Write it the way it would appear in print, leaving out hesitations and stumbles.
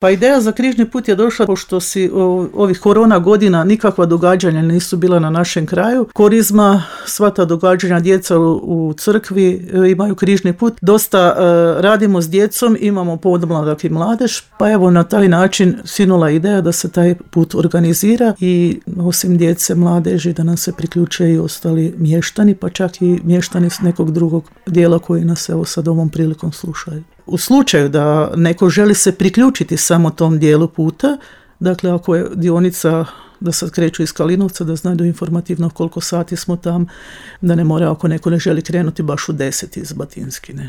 Pa ideja za križni put je došla pošto si ovih korona godina nikakva događanja nisu bila na našem kraju. Korizma, sva ta događanja, djeca u crkvi imaju križni put. Dosta radimo s djecom, imamo podmladak i mladež, pa evo na taj način sinula ideja da se taj put organizira i osim djece, mladeži, da nam se priključe i ostali mještani, pa čak i mještani s nekog drugog dijela koji nas evo sad ovom prilikom slušaju. U slučaju da neko želi se priključiti samo tom dijelu puta, dakle ako je dionica da sad kreću iz Kalinovca, da znaju informativno koliko sati smo tam, da ne mora ako neko ne želi krenuti baš u 10 iz Batinskine.